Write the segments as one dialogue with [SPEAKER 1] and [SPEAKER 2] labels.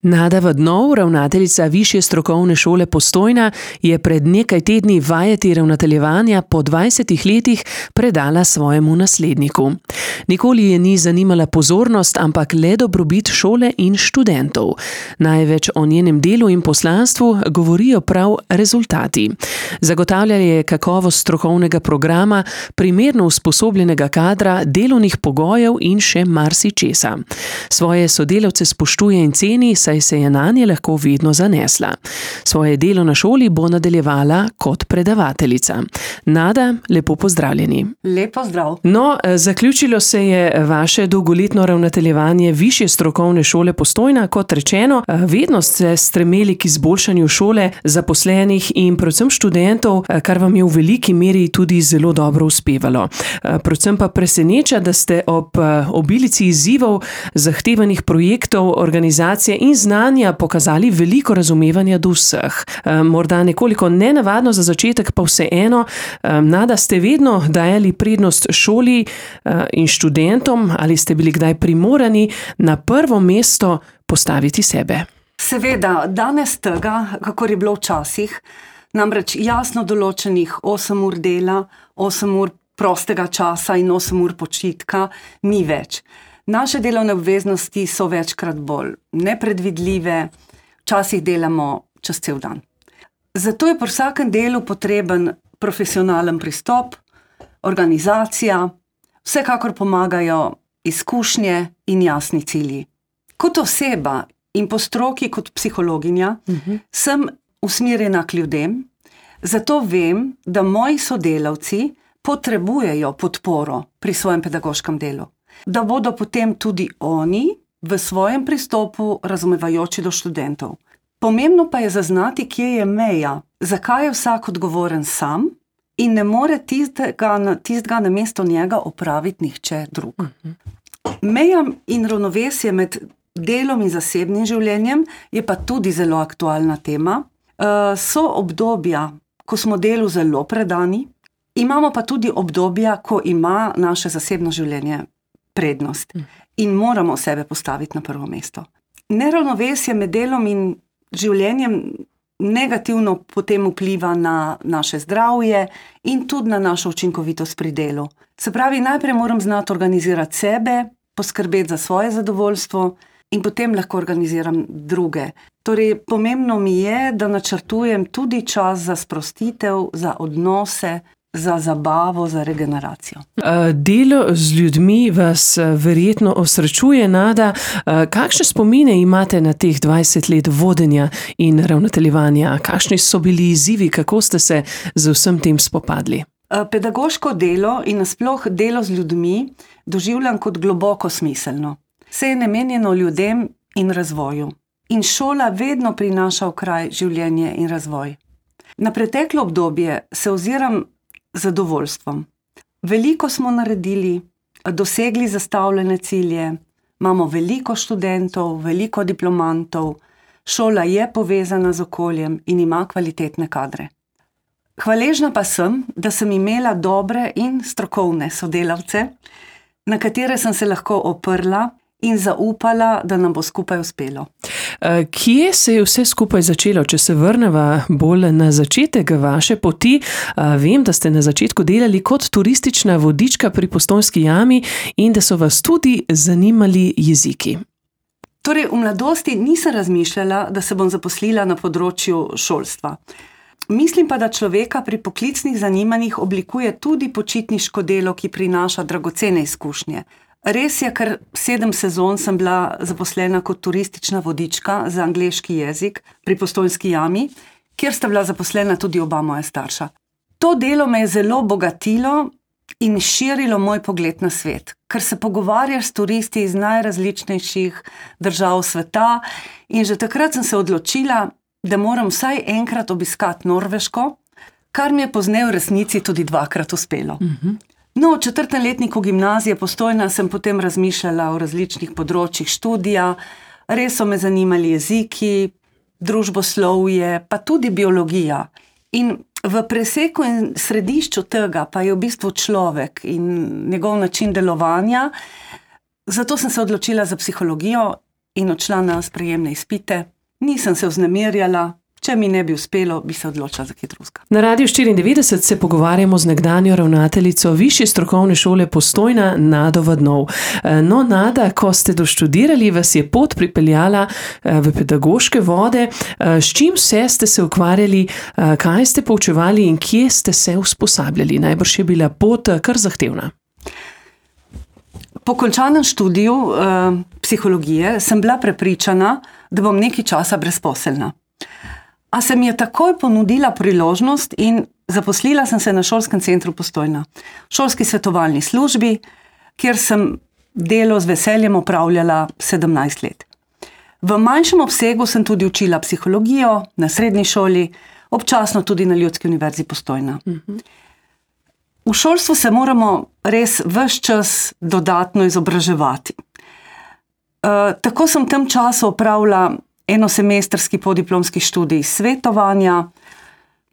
[SPEAKER 1] Nada Vadnov, ravnateljica Višje strokovne šole Postojna, je pred nekaj tedni vajeti ravnateljevanja po 20 letih predala svojemu nasledniku. Nikoli je ni zanimala pozornost, ampak le dobrobit šole in študentov. Največ o njenem delu in poslanstvu govorijo prav rezultati. Zagotavljanje kakovost strokovnega programa, primerno usposobljenega kadra, delovnih pogojev in še marsičesa. Svoje sodelavce spoštuje in ceni, saj se je nanje lahko vedno zanesla. Svoje delo na šoli bo nadaljevala kot predavateljica. Nada, lepo pozdravljeni.
[SPEAKER 2] Lep pozdrav.
[SPEAKER 1] No, zaključilo se je vaše dolgoletno ravnateljevanje Višje strokovne šole Postojna. Kot rečeno, vedno ste stremeli k izboljšanju šole, zaposlenih in predvsem študentov, kar vam je v veliki meri tudi zelo dobro uspevalo. Predvsem pa preseneča, da ste ob obilici izzivov, zahtevanih projektov, organizacije in znanja pokazali veliko razumevanja do vseh. Morda nekoliko nenavadno za začetek, pa vseeno, Nada, ste vedno dajali prednost šoli in študentom, ali ste bili kdaj primorani na prvo mesto postaviti sebe?
[SPEAKER 2] Seveda, danes tega, kakor je bilo včasih, namreč jasno določenih 8 ur dela, 8 ur prostega časa in 8 ur počitka ni več. Naše delovne obveznosti so večkrat bolj nepredvidljive, včasih delamo čez cel dan. Zato je pri vsakem delu potreben profesionalen pristop, organizacija, vsekakor pomagajo izkušnje in jasni cilji. Kot oseba in po stroki kot psihologinja sem usmerjena k ljudem, zato vem, da moji sodelavci potrebujejo podporo pri svojem pedagoškem delu. Da bodo potem tudi oni v svojem pristopu razumevajoči do študentov. Pomembno pa je zaznati, kje je meja, zakaj je vsak odgovoren sam in ne more tistega namesto njega opraviti nihče drug. Meja in ravnovesje med delom in zasebnim življenjem je pa tudi zelo aktualna tema. So obdobja, ko smo delu zelo predani, imamo pa tudi obdobja, ko ima naše zasebno življenje prednost in moramo sebe postaviti na prvo mesto. Neravnovesje med delom in življenjem negativno potem vpliva na naše zdravje in tudi na našo učinkovitost pri delu. Se pravi, najprej moram znati organizirati sebe, poskrbeti za svoje zadovoljstvo in potem lahko organiziram druge. Torej, pomembno mi je, da načrtujem tudi čas za sprostitev, za odnose, za zabavo, za regeneracijo.
[SPEAKER 1] Delo z ljudmi vas verjetno osrečuje, Nada. Kakšne spomine imate na teh 20 let vodenja in ravnateljevanja? Kakšni so bili izzivi, kako ste se z vsem tem spopadli?
[SPEAKER 2] Pedagoško delo in nasploh delo z ljudmi doživljam kot globoko smiselno. Vse je namenjeno ljudem in razvoju. In šola vedno prinaša v kraj življenje in razvoj. Na preteklo obdobje se oziram z zadovoljstvom. Veliko smo naredili, dosegli zastavljene cilje, imamo veliko študentov, veliko diplomantov, šola je povezana z okoljem in ima kvalitetne kadre. Hvaležna pa sem, da sem imela dobre in strokovne sodelavce, na katere sem se lahko oprla in zaupala, da nam bo skupaj uspelo.
[SPEAKER 1] Kje se je vse skupaj začelo? Če se vrneva bolj na začetek vaše poti, vem, da ste na začetku delali kot turistična vodička pri Postojnski jami in da so vas tudi zanimali jeziki.
[SPEAKER 2] Torej, v mladosti nisem razmišljala, da se bom zaposlila na področju šolstva. Mislim pa, da človeka pri poklicnih zanimanjih oblikuje tudi počitniško delo, ki prinaša dragocene izkušnje. Res je, ker 7 sezon sem bila zaposlena kot turistična vodička za angleški jezik pri Postojnski jami, kjer sta bila zaposlena tudi oba moja starša. To delo me je zelo bogatilo in širilo moj pogled na svet, ker se pogovarjaš s turisti iz najrazličnejših držav sveta in že takrat sem se odločila, da moram vsaj enkrat obiskati Norveško, kar mi je pozneje v resnici tudi 2-krat uspelo. No, v 4. letniku gimnazije Postojna sem potem razmišljala o različnih področjih študija, res so me zanimali jeziki, družboslovje, pa tudi biologija. In v preseku in središču tega pa je v bistvu človek in njegov način delovanja, zato sem se odločila za psihologijo in odšla na sprejemne izpite. Nisem se vznemirjala, če mi ne bi uspelo, bi se odločila za kaj drugega.
[SPEAKER 1] Na Radiu 94 se pogovarjamo z nekdanjo ravnateljico Višje strokovne šole Postojna, Nado Vadnov. No, Nada, ko ste doštudirali, vas je pot pripeljala v pedagoške vode. S čim vse ste se ukvarjali, kaj ste poučevali in kje ste se usposabljali? Najbrž je bila pot kar zahtevna.
[SPEAKER 2] Po končanem študiju psihologije sem bila prepričana, da bom nekaj časa brezposelna. A se mi je takoj ponudila priložnost in zaposlila sem se na šolskem centru Postojna, šolski svetovalni službi, kjer sem delo z veseljem opravljala 17 let. V manjšem obsegu sem tudi učila psihologijo na srednji šoli, občasno tudi na Ljudski univerzi Postojna. V šolstvu se moramo res ves čas dodatno izobraževati. Tako sem v tem času opravila enosemestrski podiplomski študij svetovanja,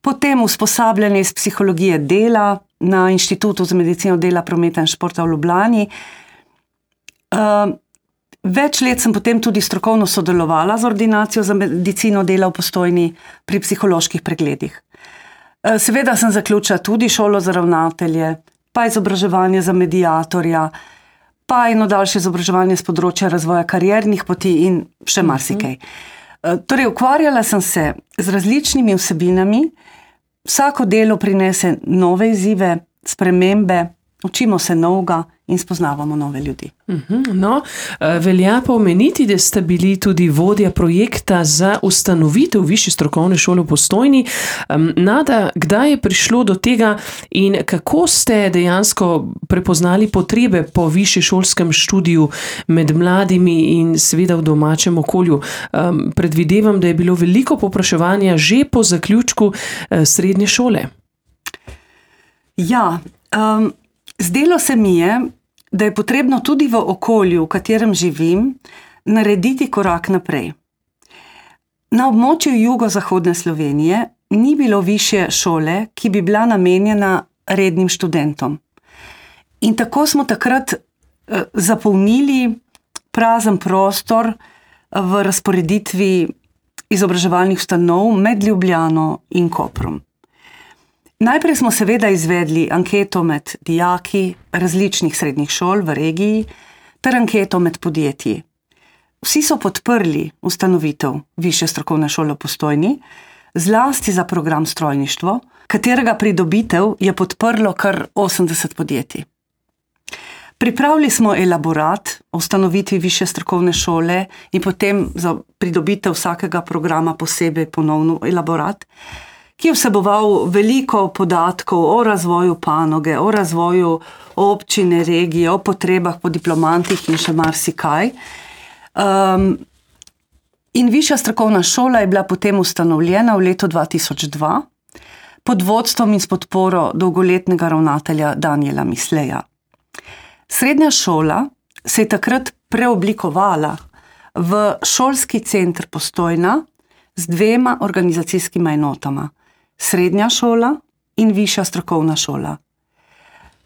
[SPEAKER 2] potem usposabljanje iz psihologije dela na Inštitutu za medicino dela, prometa in športa v Ljubljani. Več let sem potem tudi strokovno sodelovala z ordinacijo za medicino dela v Postojni pri psiholoških pregledih. Seveda sem zaključila tudi šolo za ravnatelje, pa izobraževanje za mediatorja, pa eno daljše izobraževanje z področja razvoja kariernih poti in še marsikaj. Torej, ukvarjala sem se z različnimi vsebinami, vsako delo prinese nove izzive, spremembe, učimo se novega in spoznavamo nove ljudi.
[SPEAKER 1] No, velja pa omeniti, da ste bili tudi vodja projekta za ustanovitev Višje strokovne šole v Postojni. Nada, kdaj je prišlo do tega in kako ste dejansko prepoznali potrebe po višješolskem študiju med mladimi in seveda v domačem okolju? Predvidevam, da je bilo veliko povpraševanja že po zaključku srednje šole.
[SPEAKER 2] Ja, zdelo se mi je, da je potrebno tudi v okolju, v katerem živim, narediti korak naprej. Na območju jugozahodne Slovenije ni bilo višje šole, ki bi bila namenjena rednim študentom. In tako smo takrat zapolnili prazen prostor v razporeditvi izobraževalnih ustanov med Ljubljano in Koprom. Najprej smo seveda izvedli anketo med dijaki različnih srednjih šol v regiji ter anketo med podjetji. Vsi so podprli ustanovitev Višje strokovne šole v Postojni, zlasti za program strojništvo, katerega pridobitev je podprlo kar 80 podjetij. Pripravili smo elaborat o ustanovitvi Višje strokovne šole in potem za pridobitev vsakega programa posebej ponovno elaborat, ki je vseboval veliko podatkov o razvoju panoge, o razvoju občine, regije, o potrebah po diplomantih in še marsikaj. In Višja strokovna šola je bila potem ustanovljena v letu 2002 pod vodstvom in s podporo dolgoletnega ravnatelja Danijela Misleja. Srednja šola se je takrat preoblikovala v šolski center Postojna z 2 organizacijskima enotama. Srednja šola in Višja strokovna šola.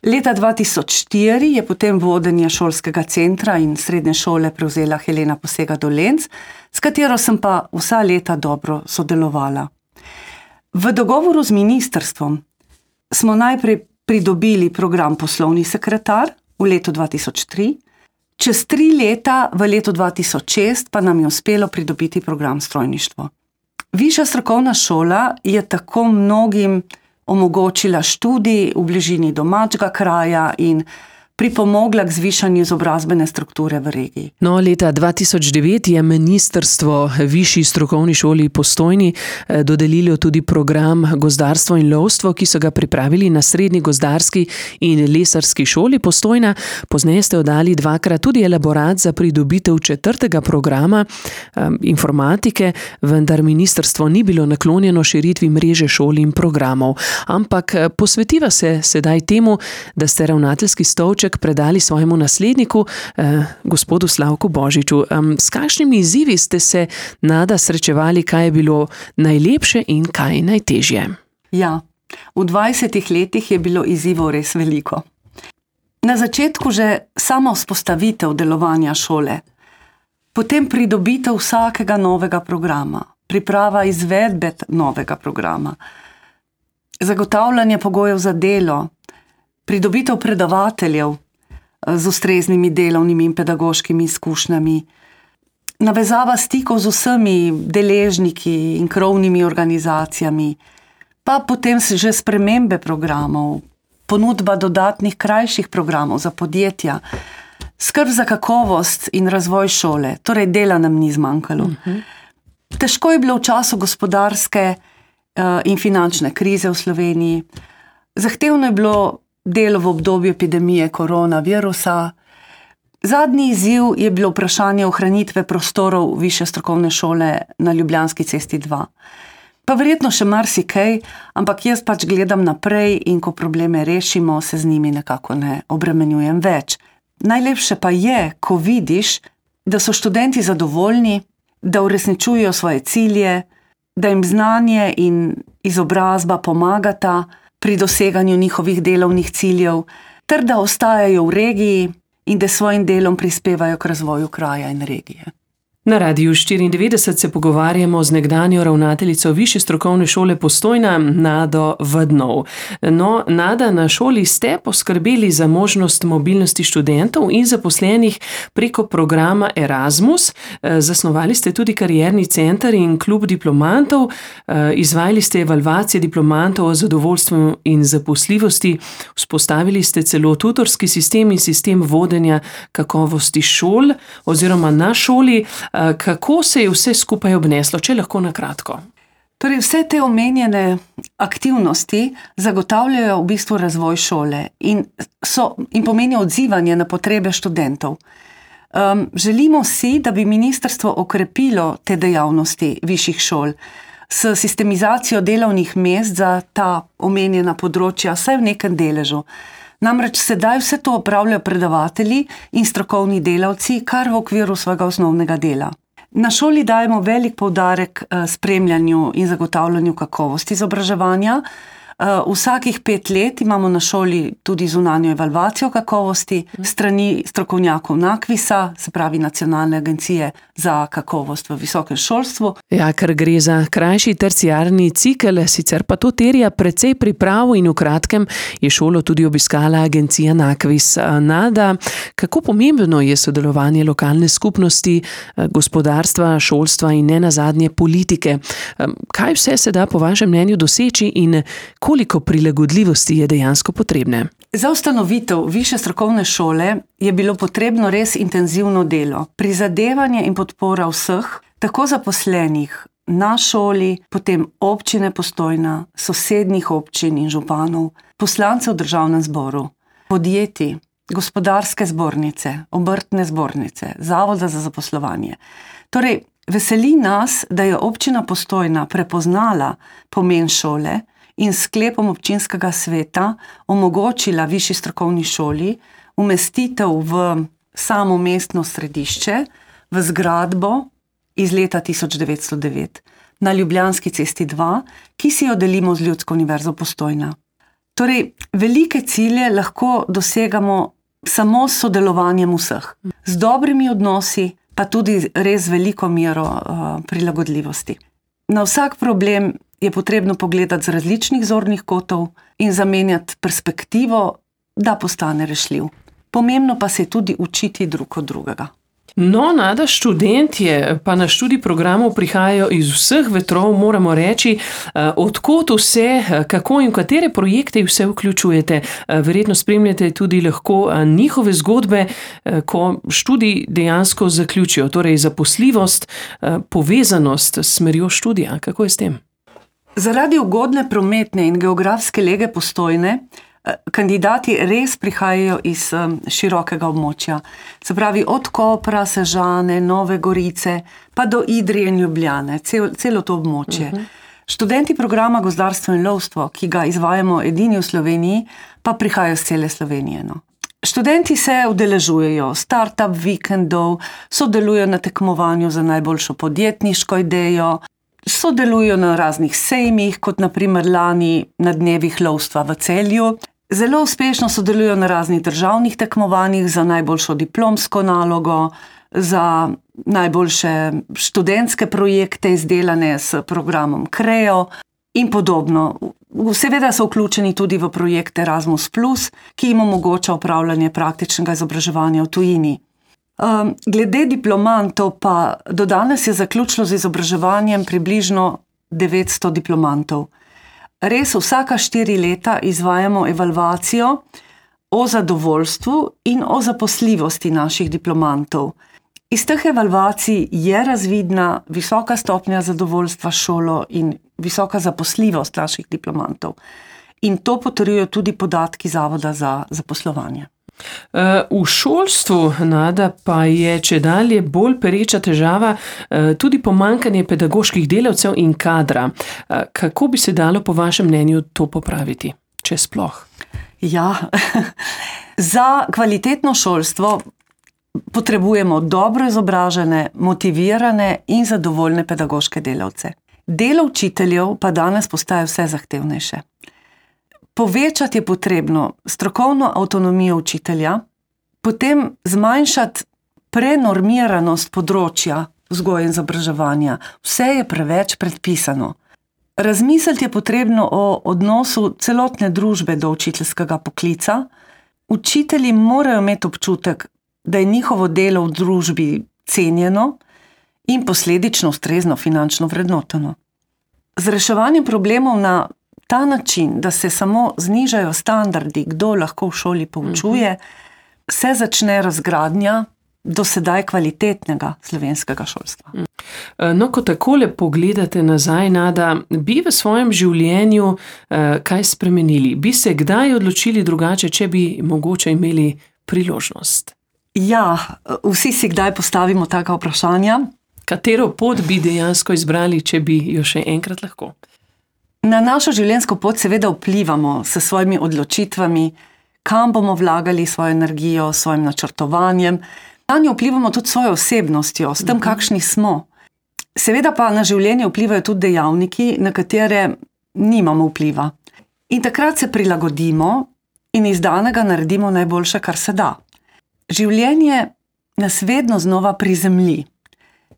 [SPEAKER 2] Leta 2004 je potem vodenje šolskega centra in srednje šole prevzela Helena Posega-Dolenc, s katero sem pa vsa leta dobro sodelovala. V dogovoru z ministrstvom smo najprej pridobili program poslovni sekretar v letu 2003, čez 3 leta v letu 2006 pa nam je uspelo pridobiti program strojništvo. Višja strokovna šola je tako mnogim omogočila študij v bližini domačega kraja in pripomogla k zvišanju izobrazbene strukture v regiji.
[SPEAKER 1] No, leta 2009 je ministrstvo Višji strokovni šoli Postojni dodelilo tudi program Gozdarstvo in lovstvo, ki so ga pripravili na Srednji gozdarski in lesarski šoli Postojna. Pozneje ste oddali 2-krat tudi elaborat za pridobitev 4. programa informatike, vendar ministrstvo ni bilo naklonjeno širitvi mreže šol in programov. Ampak posvetiva se sedaj temu, da ste ravnateljski stolček predali svojemu nasledniku, gospodu Slavku Božiču. S kakšnimi izzivi ste se, Nada, srečevali, kaj je bilo najlepše in kaj najtežje?
[SPEAKER 2] Ja, v 20 letih je bilo izzivov res veliko. Na začetku že sama vzpostavitev delovanja šole. Potem pridobitev vsakega novega programa, priprava izvedbe novega programa, zagotavljanje pogojev za delo, pridobitev predavateljev z ustreznimi delovnimi in pedagoškimi izkušnjami, navezava stikov z vsemi deležniki in krovnimi organizacijami, pa potem že spremembe programov, ponudba dodatnih krajših programov za podjetja, skrb za kakovost in razvoj šole, torej dela nam ni zmanjkalo. Težko je bilo v času gospodarske in finančne krize v Sloveniji, zahtevno je bilo delo v obdobju epidemije koronavirusa. Zadnji izziv je bilo vprašanje ohranitve prostorov Višje strokovne šole na Ljubljanski cesti 2. Pa verjetno še marsikaj, ampak jaz pač gledam naprej in ko probleme rešimo, se z njimi nekako ne obremenjujem več. Najlepše pa je, ko vidiš, da so študenti zadovoljni, da uresničujejo svoje cilje, da jim znanje in izobrazba pomagata pri doseganju njihovih delovnih ciljev, ter da ostajajo v regiji in da svojim delom prispevajo k razvoju kraja in regije.
[SPEAKER 1] Na Radiu 94 se pogovarjamo z nekdanjo ravnateljico Višje strokovne šole Postojna, Nado Vadnov. No, Nada, na šoli ste poskrbeli za možnost mobilnosti študentov in zaposlenih preko programa Erasmus. Zasnovali ste tudi karierni center in klub diplomantov, izvajali ste evalvacije diplomantov o zadovoljstvu in zaposljivosti, vzpostavili ste celo tutorski sistem in sistem vodenja kakovosti šol oziroma na šoli. Kako se je vse skupaj obneslo, če lahko na kratko?
[SPEAKER 2] Torej, vse te omenjene aktivnosti zagotavljajo v bistvu razvoj šole in pomenijo odzivanje na potrebe študentov. Želimo si, da bi ministrstvo okrepilo te dejavnosti višjih šol s sistemizacijo delovnih mest za ta omenjena področja, vsaj v nekem deležu. Namreč sedaj vse to opravljajo predavatelji in strokovni delavci, kar v okviru svojega osnovnega dela. Na šoli dajemo velik poudarek spremljanju in zagotavljanju kakovosti izobraževanja. Vsakih 5 let imamo na šoli tudi zunanjo evalvacijo kakovosti strani strokovnjakov NAKVIS-a, se pravi Nacionalne agencije za kakovost v visokem šolstvu.
[SPEAKER 1] Ja, ker gre za krajši terciarni cikel, sicer pa to terja precej priprav in v kratkem je šolo tudi obiskala agencija NAKVIS. Nada, kako pomembno je sodelovanje lokalne skupnosti, gospodarstva, šolstva in nenazadnje politike? Kaj vse se da po vašem mnenju doseči in koliko prilagodljivosti je dejansko potrebne?
[SPEAKER 2] Za ustanovitev Višje strokovne šole je bilo potrebno res intenzivno delo, prizadevanje in podpora vseh, tako zaposlenih na šoli, potem občine Postojna, sosednjih občin in županov, poslancev v državnem zboru, podjetij, gospodarske zbornice, obrtne zbornice, zavoda za zaposlovanje. Torej, veseli nas, da je občina Postojna prepoznala pomen šole in sklepom občinskega sveta omogočila Višji strokovni šoli umestitev v samo mestno središče, v zgradbo iz leta 1909 na Ljubljanski cesti 2, ki si jo delimo z Ljudsko univerzo Postojna. Torej, velike cilje lahko dosegamo samo s sodelovanjem vseh, z dobrimi odnosi, pa tudi res veliko mero prilagodljivosti. Na vsak problem je potrebno pogledati z različnih zornih kotov in zamenjati perspektivo, da postane rešljiv. Pomembno pa se je tudi učiti drug od drugega.
[SPEAKER 1] No, Nada, študentje pa na študij programov prihajajo iz vseh vetrov, moramo reči, odkot vse, kako in katere projekte vse vključujete. Verjetno spremljate tudi lahko njihove zgodbe, ko študij dejansko zaključijo, torej zaposljivost, povezanost s smerjo študija. Kako je s tem?
[SPEAKER 2] Zaradi ugodne prometne in geografske lege Postojne kandidati res prihajajo iz širokega območja. Se pravi, od Kopra, Sežane, Nove Gorice, pa do Idrije in Ljubljane, celo to območje. Študenti programa Gozdarstvo in lovstvo, ki ga izvajamo edini v Sloveniji, pa prihajajo z cele Slovenije. No. Študenti se udeležujejo startup vikendov, sodelujo na tekmovanju za najboljšo podjetniško idejo, sodelujo na raznih sejmih, kot naprimer lani na dnevih lovstva v Celju. Zelo uspešno sodelujo na raznih državnih tekmovanjih za najboljšo diplomsko nalogo, za najboljše študentske projekte, izdelane s programom Creo in podobno. Seveda so vključeni tudi v projekt Erasmus+, ki jim omogoča opravljanje praktičnega izobraževanja v tujini. Glede diplomantov pa do danes je zaključilo z izobraževanjem približno 900 diplomantov. Res vsaka 4 leta izvajamo evalvacijo o zadovoljstvu in o zaposljivosti naših diplomantov. Iz teh evalvacij je razvidna visoka stopnja zadovoljstva s šolo in visoka zaposljivost naših diplomantov. In to potrjujejo tudi podatki Zavoda za zaposlovanje.
[SPEAKER 1] V šolstvu, Nada, pa je čedalje bolj pereča težava tudi pomanjkanje pedagoških delavcev in kadra. Kako bi se dalo po vašem mnenju to popraviti, če sploh?
[SPEAKER 2] Ja, za kvalitetno šolstvo potrebujemo dobro izobražene, motivirane in zadovoljne pedagoške delavce. Delo učiteljev pa danes postaje vse zahtevnejše. Povečati je potrebno strokovno avtonomijo učitelja, potem zmanjšati prenormiranost področja vzgoje in izobraževanja. Vse je preveč predpisano. Razmisliti je potrebno o odnosu celotne družbe do učiteljskega poklica. Učitelji morajo imeti občutek, da je njihovo delo v družbi cenjeno in posledično ustrezno finančno vrednoteno. Z reševanjem problemov na ta način, da se samo znižajo standardi, kdo lahko v šoli poučuje, se začne razgradnja do sedaj kvalitetnega slovenskega šolstva.
[SPEAKER 1] No, ko takole pogledate nazaj, Nada, bi v svojem življenju kaj spremenili? Bi se kdaj odločili drugače, če bi mogoče imeli priložnost?
[SPEAKER 2] Ja, vsi si kdaj postavimo taka vprašanja.
[SPEAKER 1] Katero pot bi dejansko izbrali, če bi jo še enkrat lahko?
[SPEAKER 2] Na našo življenjsko pot seveda vplivamo s svojimi odločitvami, kam bomo vlagali svojo energijo, svojim načrtovanjem. Na njo vplivamo tudi svojo osebnostjo, s tem, kakšni smo. Seveda pa na življenje vplivajo tudi dejavniki, na katere nimamo vpliva. In takrat se prilagodimo in iz danega naredimo najboljše, kar se da. Življenje nas vedno znova prizemlji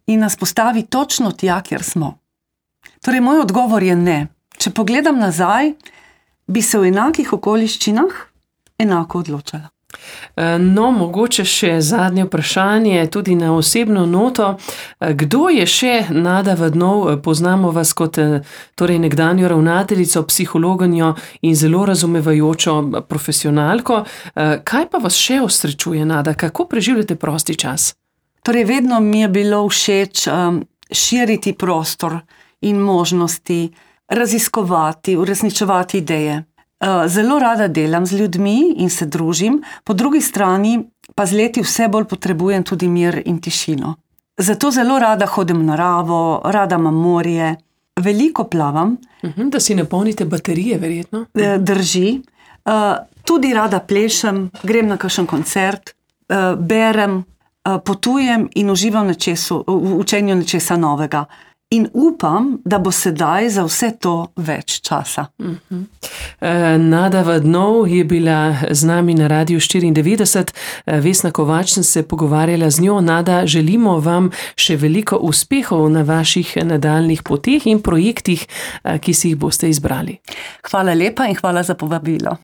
[SPEAKER 2] in nas postavi točno tja, kjer smo. Torej, moj odgovor je ne. Če pogledam nazaj, bi se v enakih okoliščinah enako odločala.
[SPEAKER 1] No, mogoče še zadnje vprašanje, tudi na osebno noto. Kdo je še Nada Vadnov? Poznamo vas kot nekdanjo ravnateljico, psihologinjo in zelo razumevajočo profesionalko. Kaj pa vas še osrečuje, Nada? Kako preživljate prosti čas?
[SPEAKER 2] Torej, vedno mi je bilo všeč širiti prostor in možnosti, raziskovati, uresničevati ideje. Zelo rada delam z ljudmi in se družim, po drugi strani pa z leti vse bolj potrebujem tudi mir in tišino. Zato zelo rada hodim v naravo, rada imam morje, veliko plavam.
[SPEAKER 1] Da si napolnite baterije, verjetno.
[SPEAKER 2] Drži. Tudi rada plešem, grem na kakšen koncert, berem, potujem in uživam v učenju nečesa novega. In upam, da bo sedaj za vse to več časa.
[SPEAKER 1] Nada Vadnov je bila z nami na Radiu 94. Vesna Kovač sem se pogovarjala z njo. Nada, želimo vam še veliko uspehov na vaših nadaljnjih poteh in projektih, ki si jih boste izbrali.
[SPEAKER 2] Hvala lepa in hvala za povabilo.